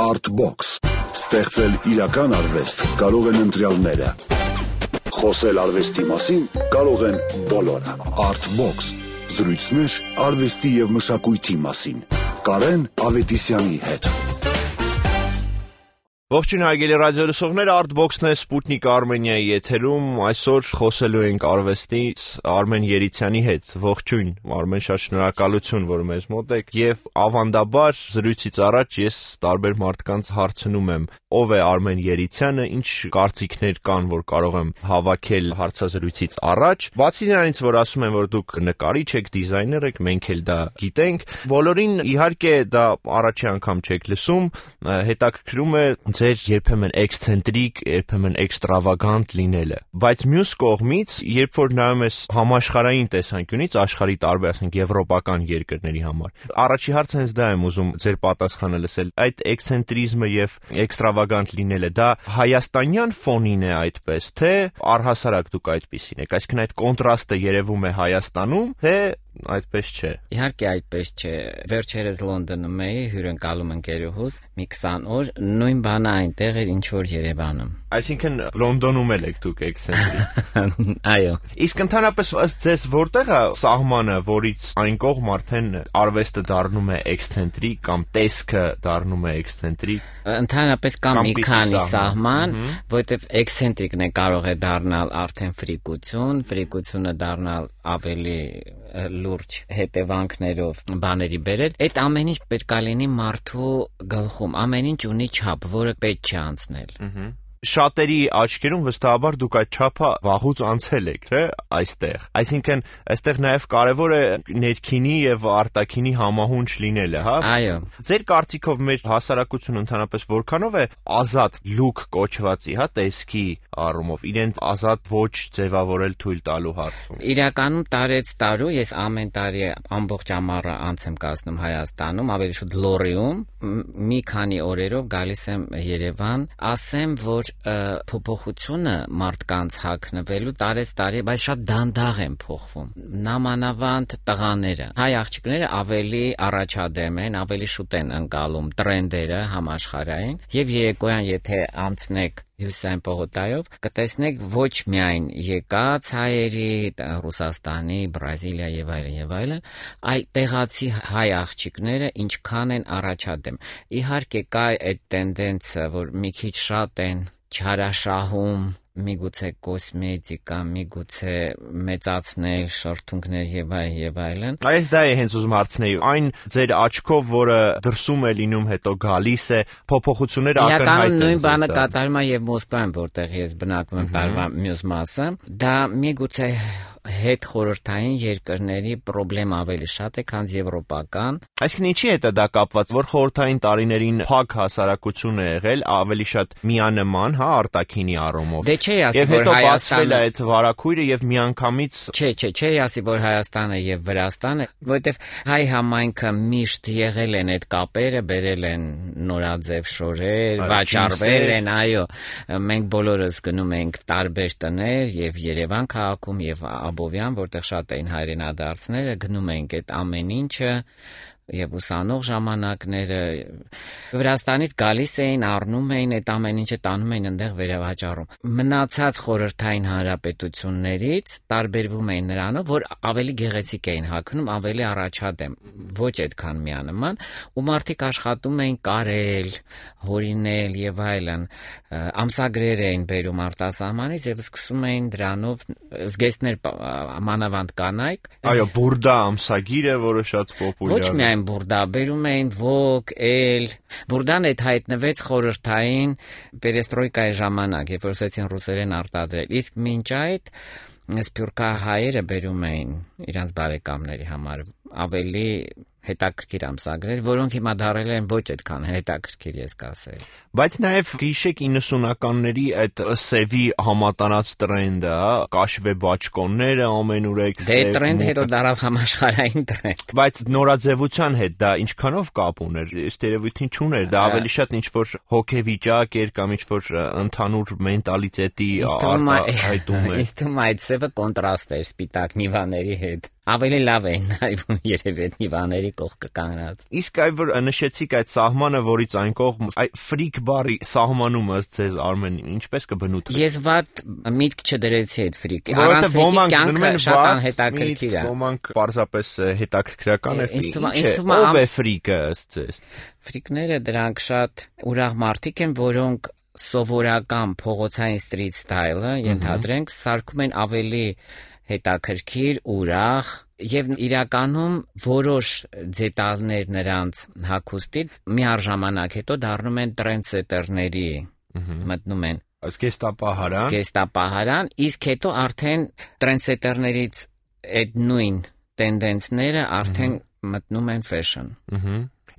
Artbox. Ստեղծել իրական արվեստ կարող են ընտրյալները։ Խոսել արվեստի մասին կարող են բոլորը։ Artbox. Զրույցներ արվեստի և մշակույթի մասին։ Կարեն Ավետիսյանի հետ։ Ողջույն հարգելի ռադիոլսողներ, Artbox-ն է Սպուտնիկ Արմենիայի եթերում, այսօր խոսելու ենք արվեստից Արմեն Երիցյանի հետ, ողջույն, Արմեն, շատ շնորհակալություն, որ մեզ մոտ եք, և ավանդաբար զրույցից առաջ ես տարբեր մարդկանց հարցնում եմ, ով է Արմեն Երիցյանը, ինչ կարծիքներ կան, որ կարող եմ հավաքել հարցազրույցից առաջ, բացի նրանից, որ ասում են, որ դուք նկարիչ եք, դիզայներ եք, մենք էլ դա գիտենք, բոլորին իհարկե դա առաջի անգամ չեք լսում, հետաքրքրում է ձեր երբեմն էքսցենտրիկ, երբեմն էքստրավագանտ լինելը, բայց մյուս կողմից, երբ որ նայում ես համաշխարհային տեսանկյունից, աշխարհի տարբեր, ասենք, եվրոպական երկրների համար, առաջի հարցը հենց դա եմ ուզում ձեր պատասխանը լսել, այդ էքսցենտրիզմը եւ էքստրավագանտ լինելը, դա հայաստանյան ֆոնին է այդպես, թե առհասարակ դուք այդպիսին եք, այսինքն այդ կոնտրաստը երևում է Հայաստանում, թե այդպես չէ։ Իհարկե այդպես չէ։ Վերջերս Լոնդոնում էի, հյուրընկալում ընկերուհուս, մի 20 օր, նույն բանը այնտեղ էր, ինչ որ Երևանում։ Այսինքն Լոնդոնում էլ եք դուք էքսցենտրիկ։ Այո։ Իսկ ընդհանրապես ըստ ձեզ որտեղ է սահմանը, որից այն կողմ արդեն արվեստը դառնում է էքսցենտրիկ կամ տեսքը դառնում է էքսցենտրիկ։ Ընդհանրապես կա մի քանի սահման, որտեղ էքսցենտրիկն է կարող է դառնալ արդեն ֆրիկություն, ֆրիկությունը դառնալ ավելի լուրջ հետևանքներով բաների բերել, այդ ամեն ինչ պետք է լինի մարդու գլխում, ամեն ինչ ունի չափ, որը պետք չի անցնել։ Շատերի աչքերում վստահաբար դուք այդ չափը վաղուց անցել եք, թե այստեղ։ Այսինքն, այստեղ նաև կարևոր է ներքինի եւ արտաքինի համահունչ լինելը, հա։ Այո։ Ձեր կարծիքով մեր հասարակությունը ընդհանրապես որքանով է ազատ լուք կոչվածի, հա, տեսքի առումով, իրեն ազատ ոչ ձևավորել թույլ տալու հարցում։ Իրականում տարեց տարու ես ամեն տարի ամբողջ ամառը անց եմ կացնում Հայաստանում, ավելի շուտ Լոռիում, մի քանի օրերով գալիս եմ Երևան, ասեմ, որ փոփոխությունը մարդկանց հագնվելու տարեց տարի, բայց շատ դանդաղ են փոխվում։ Նամանավանդ տղաները, հայ աղջիկները ավելի առաջադեմ են, ավելի շուտ են ընկալում տրենդերը համաշխարհային, եւ երեկոյան եթե անցնեք Հյուսիսային պողոտայով, կտեսնեք ոչ միայն եկած հայերի, Ռուսաստանի, Բրազիլիա եւ այլն, այլ տեղացի հայ աղջիկները ինչքան են առաջադեմ։ Իհարկե կա այդ տենդենսը, որ մի քիչ շատ են չարաշահում, միգուցե կոսմետիկա, միգուցե մեծացնել շրթունքներ եւ այլն։ Այս դա է հենց ուզում հարցնել, այն ձեր աչքով, որը դրսում է լինում, հետո գալիս է, փոփոխությունները ակնհայտ են։ Իրականում նույն բանը կատարվում է եւ Մոսկվայում, որտեղ ես բնակվում եմ տարվա մյուս մասը, դա միգուցե հետ խորհրդային երկրների պրոբլեմ ավելի շատ է, քան եվրոպական։ Այսինքն ինչի հետ է դա կապված, որ խորհրդային տարիներին փակ հասարակություն է եղել, ավելի շատ միանման, հա, արտաքինի առումով։ Դե չէի ասի, որ Հայաստանը այդ վարակույրը եւ միանգամից չէի ասի, որ Հայաստանը եւ Վրաստանը, որովհետեւ հայ համայնքը միշտ եղել են այդ կապերը, բերել են նորաձև շորեր, վաճառվել են, այո։ Մենք բոլորս գնում ենք տարբեր տներ եւ Երևան քաղաքում եւ Աբովյան, որտեղ շատ էին հայրենադարձները, գնում ենք այդ ամեն ինչը եւ ուսանող ժամանակները Վրաստանից գալիս էին, առնում էին այդ ամեն ինչը, տանում էին այնտեղ վերավաճառում։ Մնացած խորհրդային հանրապետություններից տարբերվում էին նրանով, որ ավելի գեղեցիկ էին հագնում, ավելի առաջադեմ, ոչ այդքան միանման, ու մարդիկ աշխատում էին կարել, հորինել եւ այլն, ամսագրեր էին բերում արտասահմանից եւ սկսում էին դրանով զգեստներ մանավանդ կանայք։ Այո, բուրդա ամսագիրը, որը շատ պոպուլյար է։ Ոչ միայն բուրդա, բերում էին Vogue, Elle, բուրդան այդ հայտնվեց խորհրդային պերեստրոյկայի ժամանակ, երբ որ սկսեցին ռուսերեն արտադրել, իսկ մինչ այդ սփյուռքահայերը բերում էին իրանց բարեկամների համար ավելի հետաքրքիր ամսագրեր, որոնք հիմա դարել են ոչ այդքան հետաքրքիր, ես կասեի։ Բայց նաև գիշեք 90-ականների այդ սևի համատարած տրենդը, կաշվե բաճկոնները ամենուր եք սև։ Դե տրենդ հետո դարավ համաշխարհային տրենդ։ Բայց նորաձևության հետ դա ինչքանով կապ ուներ, ըստ երևույթին չուներ, դա ավելի շատ ինչ-որ հոգեվիճակ էր կամ ինչ-որ ընդհանուր մենտալիտետի արտահայտում էր։ Իսկ այդ սևը կոնտրաստ էր սպիտակ նիվաների հետ։ ավելի լավ է նայվում երևի այդ հիվաների կողքը կանգնած։ Իսկ այ որ նշեցիք այդ սահմանը, որից այն կողմ, այ ֆրիկ բարի սահմանումը ձեզ Արմեն ինչպես կբնութ։ Ես վատ միտք չդրեցի այդ ֆրիկ։ Առանց ֆրիկի կյանքը շատ անհետաքրքիր է։ Ոմանք պարզապես հետաքրքրական է։ Ինչ ով է ֆրիկը ըստ ձեզ։ Ֆրիկները դրանք շատ ուրախ մարդիկ են, որոնք սովորական փողոցային street style-ը ենթադրենք սարքում են ավելի հետաքրքիր, ուրախ եւ իրականում որոշ դետալներ նրանց հագուստի միաժամանակ հետո դառնում են տրենդսետերների մտնում են զգեստապահարան, իսկ հետո արդեն տրենդսետերներից այդ նույն տենդենսները արդեն մտնում են fashion։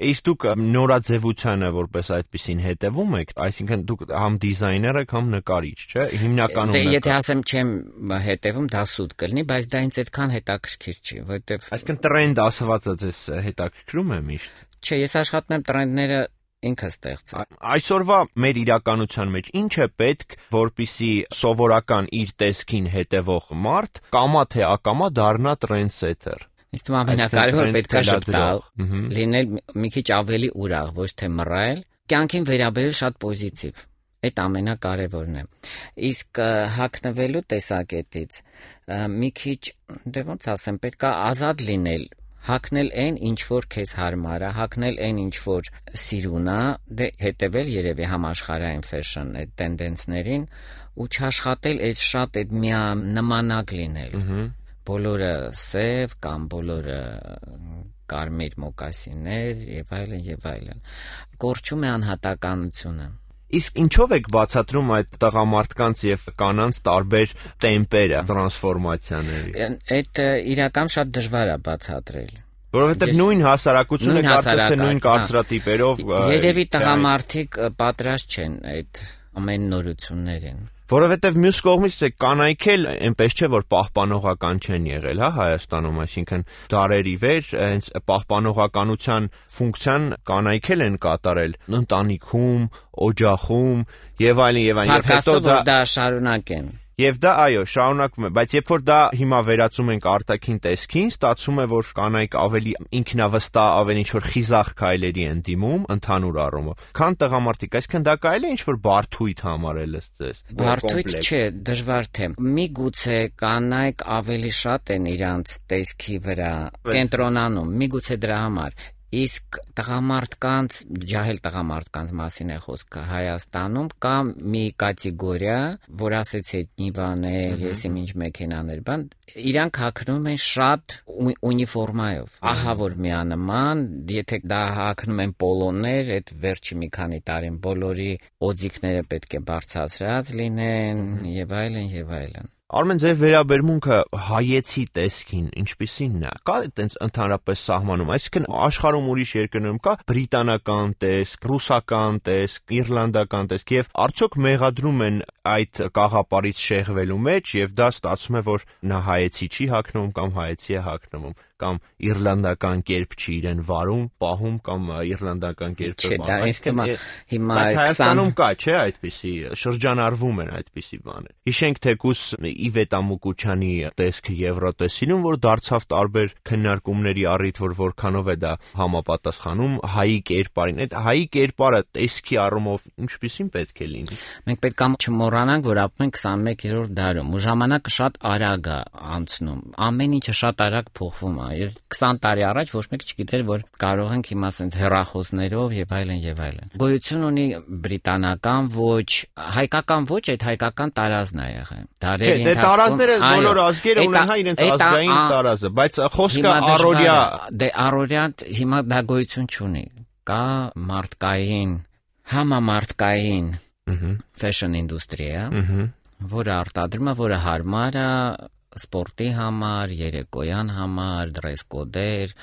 Իսկ դուք նորաձևությանը որպես այդպեսին հետևում եք, այսինքն դուք համ դիզայներ եք, համ նկարիչ, չէ՞։ Հիմնականում Դե եթե ասեմ չեմ հետևում, դա սուտ կլինի, բայց դա ինձ այդքան հետաքրքիր չի, որովհետև այսինքն տրենդ ասվածը ձեզ հետաքրքրում է միշտ։ Չէ, ես աշխատում եմ տրենդները ինքը ստեղծել։ Այսօրվա մեր իրականության մեջ ինչ է պետք, որպիսի սովորական իր տեսքին հետևող մարդ կամա թե ակամա դառնա տրենդսեթեր։ Իսկ ամենակարևորը պետք է շփտալ, լինել մի քիչ ավելի ուրախ, ոչ թե մռայլ, կյանքին վերաբերել շատ պոզիտիվ։ Այդ ամենակարևորն է։ Իսկ հագնվելու տեսակետից մի քիչ, դե ոնց ասեմ, պետք է ազատ լինել, հագնել այն, ինչ որ քեզ հարմար է, հագնել այն, ինչ որ սիրուն է, դե հետևել երևի համաշխարհային fashion այդ տենդենսներին ու չաշխատել այդ շատ այդ միանմանակ լինել։ Բոլորը սև կամ բոլորը կարմիր մոկասիններ եւ այլն։ Կորչում է անհատականությունը։ Իսկ ինչով եք բացատրում այդ տղամարդկանց եւ կանանց տարբեր տեմպերը, տրանսֆորմացիաների։ Այդ իրական շատ դժվար է բացատրել։ Որովհետեւ նույն հասարակությունը կարծես թե նույն կարծրատիպերով երևի տղամարդիկ պատրաստ չեն այդ ամեն նորություններին։ Որովհետև մյուս կողմից կանայք էլ այնպես չէ որ պահպանողական չեն եղել, հա, Հայաստանում, այսինքն դարերի վեր հենց պահպանողականության ֆունկցիան կանայք էլ են կատարել ընտանիքում, օջախում եւ այլն եւ հետո դա շարունակեն։ Եվ դա այո, շարունակվում է, բայց երբ որ դա հիմա վերածում ենք արտաքին տեսքին, ստացվում է, որ կանայք ավելի ինքնավստահ, ավելի ինչ-որ խիզախ քայլերի են դիմում ընդհանուր առումով, քան տղամարդիկ, այսինքն դա կարելի է ինչ-որ բարդույթ համարել ըստ ձեզ։ Բարդույթ չէ, դժվար թե։ Միգուցե կանայք ավելի շատ են իրանց տեսքի վրա կենտրոնանում, միգուցե դրա համար։ Իսկ տղամարդկանց, ջահել տղամարդկանց մասին է խոսքը Հայաստանում կա մի կատեգորիա, որ ասեցի նիվաներ, եսիմ ինչ մեքենաներ, բան, իրանք հագնում են շատ ունիֆորմայով։ Ահա որ միանման, եթե դա հագնում են պոլոներ, այդ վերջի մի քանի տարին բոլորի օձիքները պետք է բարձրացրած լինեն եւ այլն։ Արմեն, ձեր վերաբերմունքը հայեցի տեսքին ինչպիսին է։ Կա այտենց ընդհանրապես սահմանում, այսինքն աշխարհում ուրիշ երկրներում կա բրիտանական տեսք, ռուսական տեսք, իռլանդական տեսք եւ արդյոք մեղադրում են այդ կաղապարից շեղվելու մեջ եւ դա ստացվում է որ նա հայեցի չի հագնում կամ հայեցի է հագնում կամ իռլանդական կերպ չի իրեն վարում, պահում կամ իռլանդական կերպը վարում։ Հիմա Հայաստանում կա, չէ, այդպիսի շրջանառվում են այդպիսի բաներ։ Հիշենք թեկուս Իվետ Ամուկուչյանի տեսքը Եվրոտեսիլում, որ դարձավ տարբեր քննարկումների առիթ, որ որքանով է դա համապատասխանում հայի կերպարին։ Այդ հայի կերպարը տեսքի առումով ինչպիսին պետք է լինի։ Մենք պետք է չմոռանանք, որ ապրում ենք 21-րդ դարում, ու ժամանակը շատ արագ է անցնում։ Ամեն ինչը շատ արագ փոխվում է։ 20 տարի առաջ ոչ մեկ չգիտեր, որ կարող ենք հիմա ասենք հեռախոսներով եւ այլն։ Գոյություն ունի բրիտանական ոճ, հայկական ոճ, այդ հայկական տարազն է եղել։ Դարերի Դե տարազները բոլոր ազգերը ունեն հա իրենց ազգային տարազը, բայց խոսքը առօրյա դե առօրյա հիմա դա գոյություն չունի։ Կա մարդկային, համամարտկային fashion industry-ը, որը արտադրում է, որը հարմար է սպորտի համար, երեկոյան համար, դրես կոդեր,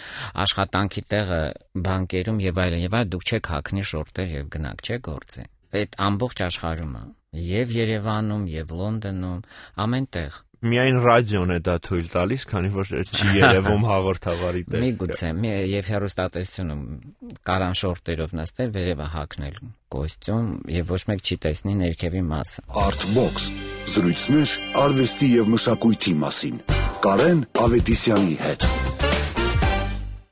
աշխատանքի տեղը բանկերում եւ այլն, դուք չեք հագնի շորտեր եւ գնաք, չէ՞ գործի։ Այդ ամբողջ աշխարհում է, եւ Երևանում, եւ Լոնդոնում, ամենտեղ։ Միայն ռադիոն է դա թույլ տալիս, քանի որ չի երևում հաղորդավարի տեսքը։ Միգուցե, եւ հեռուստատեսությունում կարան շորտերով նստել, վերևը հագնել կոստյում եւ ոչ մեկ չի տեսնի ներքևի մասը։ Artbox զրույցներ արվեստի եւ մշակույթի մասին։ Կարեն Ավետիսյանի հետ։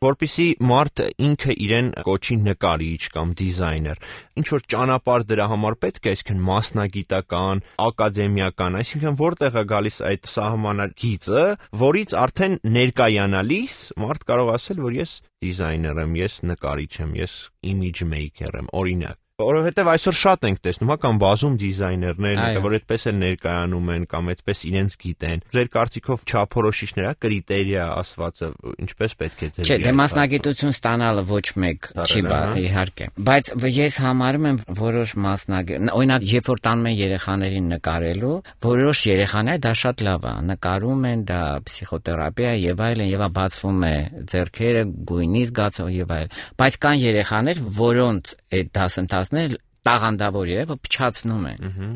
Որպեսզի մարդ ինքը իրեն կոչի նկարիչ կամ դիզայներ, ինչ որ ճանապարհ դրա համար պետք է, այսինքն մասնագիտական, ակադեմիական, այսինքն որտեղ է գալիս այդ սահմանագիծը, որից արդեն ներկայանալիս մարդ կարող ասել, որ ես դիզայներ եմ, ես նկարիչ եմ, ես image maker եմ, օրինակ։ Որովհետև այսօր շատ ենք տեսնում, կամ բազում դիզայներներ, որ այդպես էլ ներկայանում են կամ այդպես իրենց գիտեն։ Ձեր կարծիքով չափորոշիչներ, կրիտերիա ասվածը ինչպես պետք է ձեր։ Չէ, դե մասնագիտություն ստանալը ոչ մեկ չի իհարկե, բայց ես համարում եմ որոշ օրինակ, երբ որ տանում են երեխաներին նկարելու, որոշ երեխաներ դա շատ լավ է, նկարում են, դա պսիխոթերապիա եւ այլն, եւ բացվում է ձեռքերը, գույնի զգացող եւ այլն։ Բայց կան երեխաներ, որոնց այդ դասընթացները տաղանդավոր է, որ փչացնում են,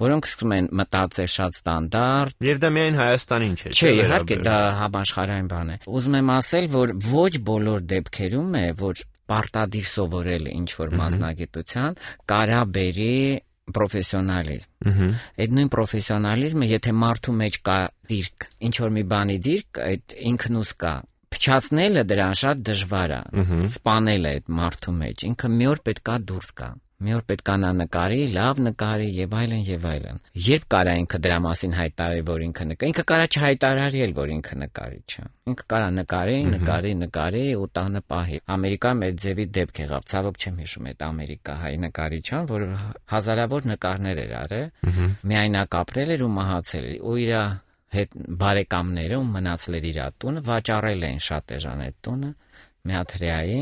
որոնք սկսում են մտածել շատ ստանդարտ։ Եվ դա միայն Հայաստանին չէ։ Չէ, իհարկե դա համաշխարհային բան է։ Ուզում եմ ասել, որ ոչ բոլոր դեպքերում է, որ պարտադիր սովորել ինչ-որ մասնագիտության կարա բերի պրոֆեսիոնալիզմ։ Այդ նույն պրոֆեսիոնալիզմը, եթե մարդու մեջ կա դիրք, ինչ-որ մի բանի դիրք, այդ ինքնուս կա։ Փչացնելը դրան շատ դժվար է, սպանելը այդ մարդու մեջ, ինքը մի օր պետքա դուրս գա, մի օր պետքա նա նկարի, լավ նկարի եւ այլն եւ այլն։ Երբ կարա ինքը դրա մասին հայտարարի, որ ինքը կարա չհայտարարի էլ, որ ինքը նկարիչ է։ Ինքը կարա նկարի ու տանը պահի։ Ամերիկայում այդ ձևի դեպք եղավ, ցավոք չեմ հիշում այդ ամերիկահայ նկարիչան, որ հազարավոր նկարներ էր արել, միայնակ ապրել էր ու մահացել էր, ու իր հետ բարեկամները ու մնացել էր իր տունը, վաճառել էին շատ էժան այդ տունը, մի հատ հրեայի,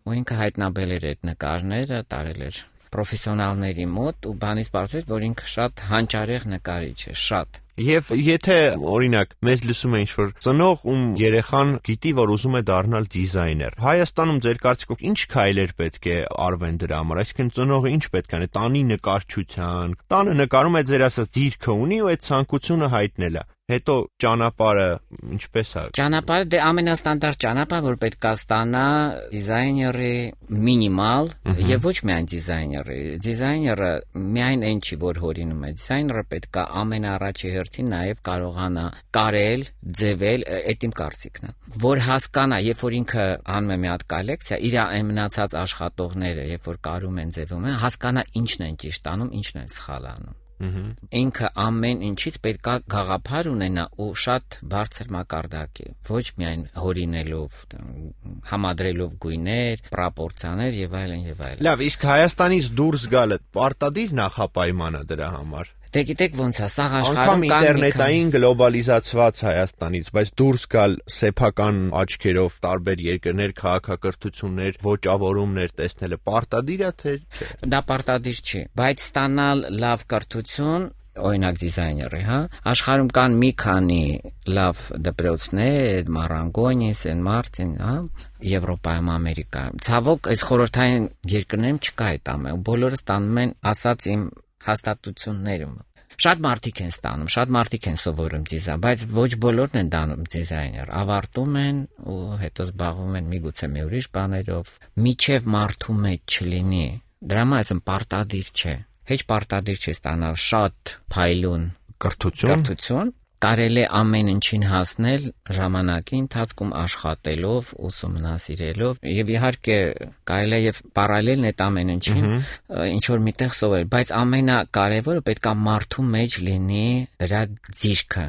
ու ինքը հայտնաբերել էր այդ նկարները, տարել էր պրոֆեսիոնալների մոտ ու բանից պարզվեց, որ ինքը շատ հանճարեղ նկարիչ է, շատ։ Եվ եթե օրինակ մեզ լսում է ինչ-որ ծնող, ում երեխան գիտի, որ ուզում է դառնալ դիզայներ, Հայաստանում ձեր կարծիքով ինչ քայլեր պետք է արվեն դրա համար, այսինքն ծնողը ինչ պետք է անի, տանի նկարչության, տանը նկարում է ձեր ասած դիրքը ունի ու այդ ցանկությունը հայտնել է։ Հետո ճանապարհը ինչպես է։ Ճանապարհը դե ամենաստանդարտ ճանապարհը, որ պետք է ստանա դիզայների մինիմալ եւ ոչ միայն դիզայները։ Դիզայները միայն այն չի, որ հորինում է։ Դիզայները պետք է ամենաառաջի հերթին նաեւ կարողանա կարել, ձևել, այդ իմ կարծիքն է։ Որ հասկանա, երբ որ ինքը անում է մի հատ կոլեկցիա, իր այն մնացած աշխատողները, երբ որ կարում են, ձևում են, հասկանա ինչն են ճիշտ անում, ինչն են սխալ անում։ Ինքը ամեն ինչից պետք է գաղափար ունենա ու շատ բարձր մակարդակի, ոչ միայն հորինելով, համադրելով գույներ, պրոպորցիաներ եւ այլն եւ այլն։ Լավ, իսկ Հայաստանից դուրս գալը պարտադիր նախապայման է դրա համար։ Դե գիտեք ոնց է, սա աշխարհում կան ինտերնետային գլոբալիզացված Հայաստանից, բայց դուրս գալ սեփական աչքերով տարբեր երկրներ, քաղաքակրթություններ, ոճավորումներ տեսնելը պարտադիր է թե չէ։ Դա պարտադիր չի, բայց ստանալ լավ կրթություն, օրինակ դիզայների, աշխարհում կան մի քանի լավ դպրոցներ, Մարանգոնի, Սեն Մարտին, Եվրոպայում, Ամերիկայում։ Ցավոք, այս խորհրդային երկրներում չկա այդ ամենը, բոլորը ստանում են ասած իմ հաստատություններում։ Շատ մարդիկ են ստանում, շատ մարդիկ են սովորում դիզայն, բայց ոչ բոլորն են դառնում դիզայներ, ավարտում են ու հետո զբաղվում են միգուցե մի ուրիշ բաներով, միջև մարդու մեջ չլինի։ Դրա համար ասեմ պարտադիր չէ։ Հեչ պարտադիր չէ ստանալ շատ փայլուն կրթություն, կարելի է ամեն ինչին հասնել ժամանակի ընթացքում աշխատելով, ուսումնասիրելով եւ իհարկե կարելի է եւ պարալելն այդ ամեն ինչին ինչ որ միտեղ սովորել, բայց ամենակարևորը պետք է մարդու մեջ լինի դրա ձիրքը։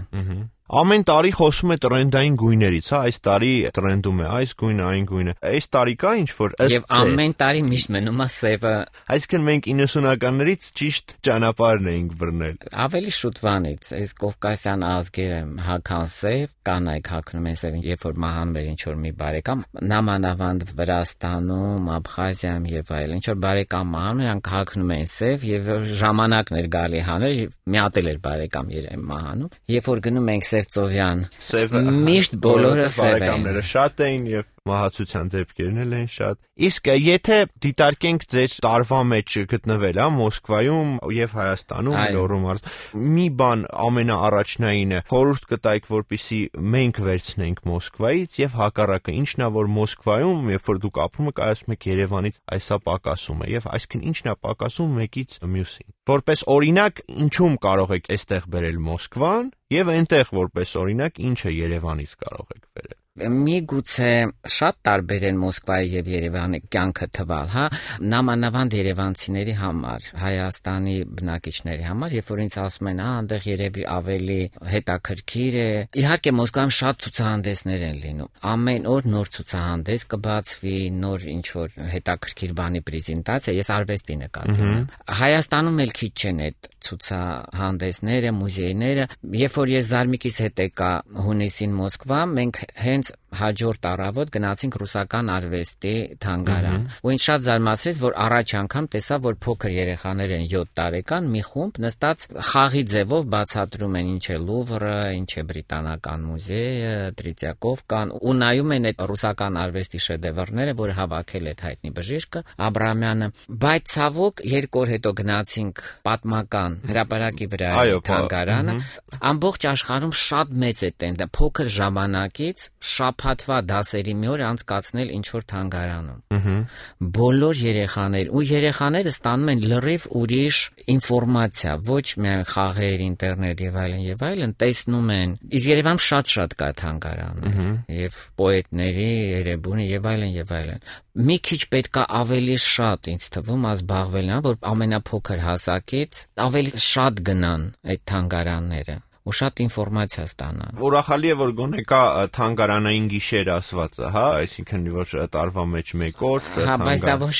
Ամեն տարի խոսում է տրենդային գույներից, այս տարի տրենդում է այս գույնը, այն գույնը։ Այս տարի կա ինչ-որ ըստ եւ ամեն տարի միշտ մնում է սևը։ Այսինքն մենք 90-ականներից ճիշտ ճանապարհն էինք բռնել։ Ավելի շուտվանից, այս կովկասյան ազգերը հագան սև, կանայք հագնում են սև, երբ որ մահանում էր ինչ-որ մի բարեկամ, նամանավանդ Վրաստանում, Աբխազիայում եւ այլն, ինչ-որ բարեկամ մահանում, նրանք հագնում են սև եւ ժամանակն էր գալի հանել, միատել էր բարեկամ երբ մահանում, երբ որ գնում ենք Ծովյան։ Միշտ բոլորը սև են։ Բարեկամները շատ էին եւ մահացության դեպքերն էլ են շատ։ Իսկ եթե դիտարկենք ձեր տարվա մեջ գտնվել, Մոսկվայում եւ Հայաստանում, Լոռու մարզ, մի բան ամենաառաջնայինը խորհուրդ կտայիք, որպեսզի մենք վերցնենք Մոսկվայից եւ հակառակը, ինչն է որ Մոսկվայում, երբ որ դուք ապրում եք, ասում եք Երևանից այսա պակասում է եւ այսինքն ինչն է պակասում մեկից մյուսին։ Որպես օրինակ, ինչու՞մ կարող եք այստեղ բերել Մոսկվան եւ այնտեղ որպես օրինակ ինչը Երևանից կարող եք բերել։ Միգուցե շատ տարբեր են Մոսկվայի եւ Երևանի կյանքը թվալ, նամանավանդ երևանցիների համար, Հայաստանի բնակիչների համար, երբ որ ինձ ասում են, այնտեղ երևի ավելի հետաքրքիր է։ Իհարկե Մոսկվայում շատ ցուցահանդեսներ են լինում։ Ամեն օր նոր ցուցահանդես կբացվի, նոր ինչ-որ հետաքրքիր բանի պրեզենտացիա, ես արվեստի նկատի ունեմ։ Հայաստանում էլ քիչ չեն այդ ցուցահանդեսները, մուզեյները։ Երբ որ ես Զարմիկիս հետ եկա հունիսին Մոսկվա, մենք հենց հաջորդ առավոտ գնացինք ռուսական արվեստի թանգարան։ Ու ինձ շատ զարմացրեց, որ առաջ անգամ տեսա, որ փոքր երեխաներ են 7 տարեկան, մի խումբ նստած խաղի ձևով բացատրում են ինչ է Լուվրը, ինչ է Բրիտանական մուզեյը, Տրիտյակովկան, ու նայում են այդ ռուսական արվեստի շեդևրները, որ հավաքել է հայտնի բժիշկը Աբրամյանը։ Բայց ցավոք 2 օր հետո գնացինք պատմական հրապարակի վրա թանգարանը, ամբողջ աշխարհում շատ մեծ է տենդը փոքր ժամանակից շաբաթվա դասերի մի օր անցկացնել ինչ-որ թանգարանում։ Բոլոր երեխաները ստանում են լրիվ ուրիշ ինֆորմացիա, ոչ միայն խաղեր, ինտերնետ եւ այլն, տեսնում են։ Իսկ Երևանում շատ կա թանգարան, եւ պոետների, Երևանի եւ այլն։ Մի քիչ պետքա ավելի շատ ինձ թվում զբաղվել, որ ամենափոքր հասակից ավելի շատ գնան այդ թանգարանները ու շատ ինֆորմացիա ստանան։ Ուրախալի է, որ գոնե կա թանգարանային գիշեր ասվածը, այսինքն որ տարվա մեջ 1 օր թանգարան։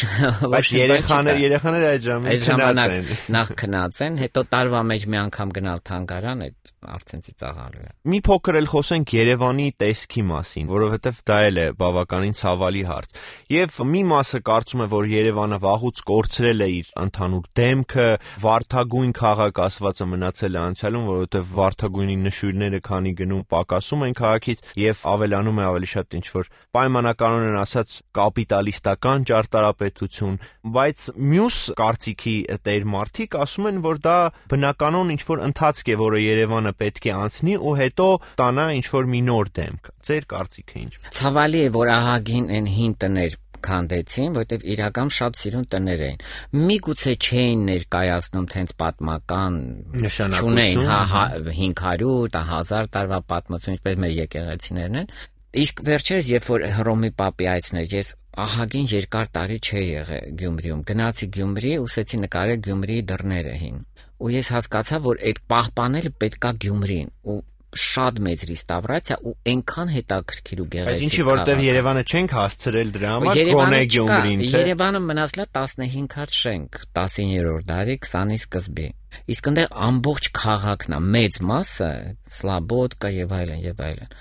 Բայց երեխաները այդ ժամանակ նախ քնած են, հետո տարվա մեջ մի անգամ գնալ թանգարան, այդ արդեն ծիծաղալու է։ Մի փոքր էլ խոսենք Երևանի տեսքի մասին, որովհետև դա էլ է բավականին ցավալի հարց։ Եվ մի մասը կարծում է, որ Երևանը վաղուց կորցրել է իր ընդհանուր դեմքը, վարդագույն քաղաք ասվածը մնացել է անցյալում, որովհետև վարդագույնի նշույլները քանի գնում պակասում են քաղաքից եւ ավելանում է ավելի շատ ինչ-որ պայմանականորեն ասած կապիտալիստական ճարտարապետություն, բայց մյուս կարծիքի տեր մարդիկ ասում են, որ դա բնականon ինչ-որ ընթացք է, որը Երևանը պետք է անցնի ու հետո տանա ինչ-որ մի նոր դեմք։ Ձեր կարծիքը ինչ։ Ցավալի է, որ ահագին են հին տներ քանդեցին, որտեղ իրական շատ սիրուն տներ էին։ Միգուցե չէին ներկայացնում թենց պատմական նշանակություն, 500, 1000 տարվա պատմություն, ինչպես մեր եկեղեցիներն են։ Իսկ վերջերս, երբ որ Հռոմի Պապի այցն էր, ես ահագին երկար տարի չէի եղել Գյումրիում։ Գնացի Գյումրի, ուսեցի նկարել Գյումրիի դռները հին։ Ու ես հասկացա, որ այդ պահպանելը պետքա Գյումրին ու շատ մեծ ռեստավրացիա ու այնքան հետաքրքիր ու գեղեցիկ։ Բայց ինչի որտեղ Երևանը չենք հասցրել դրա համար, գոնե Գյումրին, թե Երևանը մնացել է 15 հատ շենք 19-րդ դարի 20-ի սկզբի։ Իսկ այնտեղ ամբողջ քաղաքն է, մեծ մասը, Սլաբոդկա եւ այլն։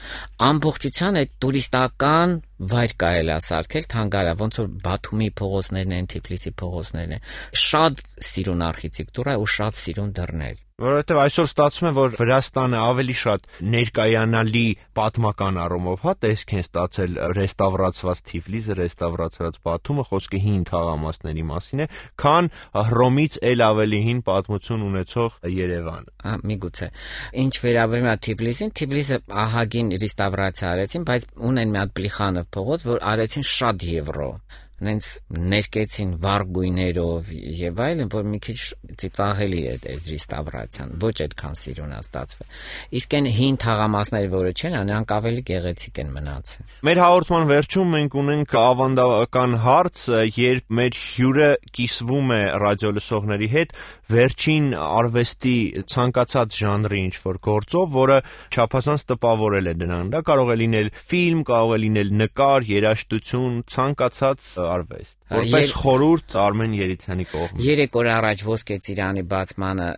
Ամբողջության այդ տուրիստական վայր կարելի է սարքել թանգարան, ոնց որ Բաթումի փողոցներն են, Թիֆլիսի փողոցներն են։ Շատ սիրուն արխիտեկտուրա ու շատ սիրուն դռներ։ Որովհետև այսօր ստացվում է, որ Վրաստանը ավելի շատ ներկայանալի պատմական առումով տեսք են ստացել ռեստավրացված Թիֆլիսը, ռեստավրացված Բաթումը, խոսքը հին թաղամասների մասին է, քան Հռոմից էլ ավելի հին պատմություն ունեցող Երևանը։ Միգուցե։ Ինչ վերաբերում է Թիֆլիսին, Թիֆլիսը ահագին ռեստավրացիա արեցին, բայց ունեն մի հատ Պլիխանով փողոց, որ արեցին շատ եվրո։ Նենց ներկեցին վառ գույներով եւ այլն, որ մի քիչ ծիծաղելի է այդ ռեստավրացիան, ոչ այդքան սիրուն է ստացվել։ Իսկ այն հին թաղամասները, որը չեն, նրանք ավելի գեղեցիկ են մնացել։ Մեր հաղորդման վերջում մենք ունենք ավանդական հարց, երբ մեր հյուրը կիսվում է ռադիոլսողների հետ վերջին արվեստի ցանկացած ժանրի ինչ-որ գործով, որը չափազանց տպավորել է նրան։ Դա կարող է լինել ֆիլմ, կարող է լինել նկար, երաժշտություն, ցանկացած արվեստ։ Որպես խորհուրդ Արմեն Երիցյանի կողմից։ 3 օր առաջ Ոսկե ծիրանի բացմանը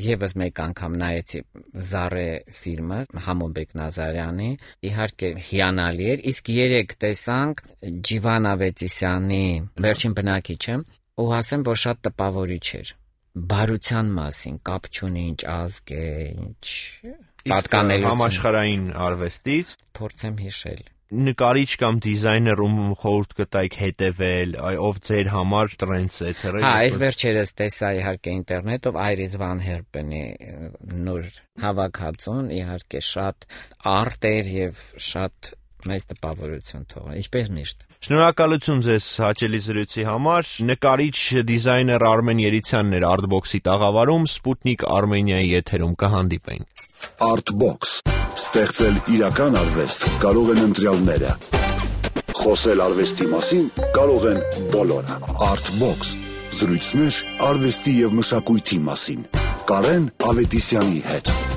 եւս մեկ անգամ նայեցի Զարե ֆիլմը Համոբեկ Նազարյանի, իհարկե հիանալի էր, իսկ 3 տեսանք Ջիվան Ավետիսյանի Վերջին բնակիչը, ու ասեմ, որ շատ տպավորիչ էր։ Բարության մասին, կապ չունի ինչ ազգ է, ինչ պատկանելություն։ Համաշխարհային արվեստից փորձեմ հիշել։ նկարիչ կամ դիզայներ ում խորհուրդ կտայիք հետևել, ով ձեր համար տրենդսեթեր է։ Հա, այս վերջերս տեսա իհարկե ինտերնետով Iris Van Herpen-ի նոր հավաքածուն, իհարկե շատ արտեր եւ շատ մեծ տպավորություն թողա, ինչպես միշտ։ Շնորհակալություն ձեզ հաճելի զրույցի համար։ Նկարիչ դիզայներ Արմեն Երիցյանն էր Artbox-ի տաղավարում, Sputnik Armenia-ի եթերում կհանդիպենք։ Artbox. Ստեղծել իրական արվեստ կարող են ընտրյալները։ Խոսել արվեստի մասին կարող են բոլորը։ Artbox. Զրույցներ արվեստի եւ մշակույթի մասին։ Կարեն Ավետիսյանի հետ։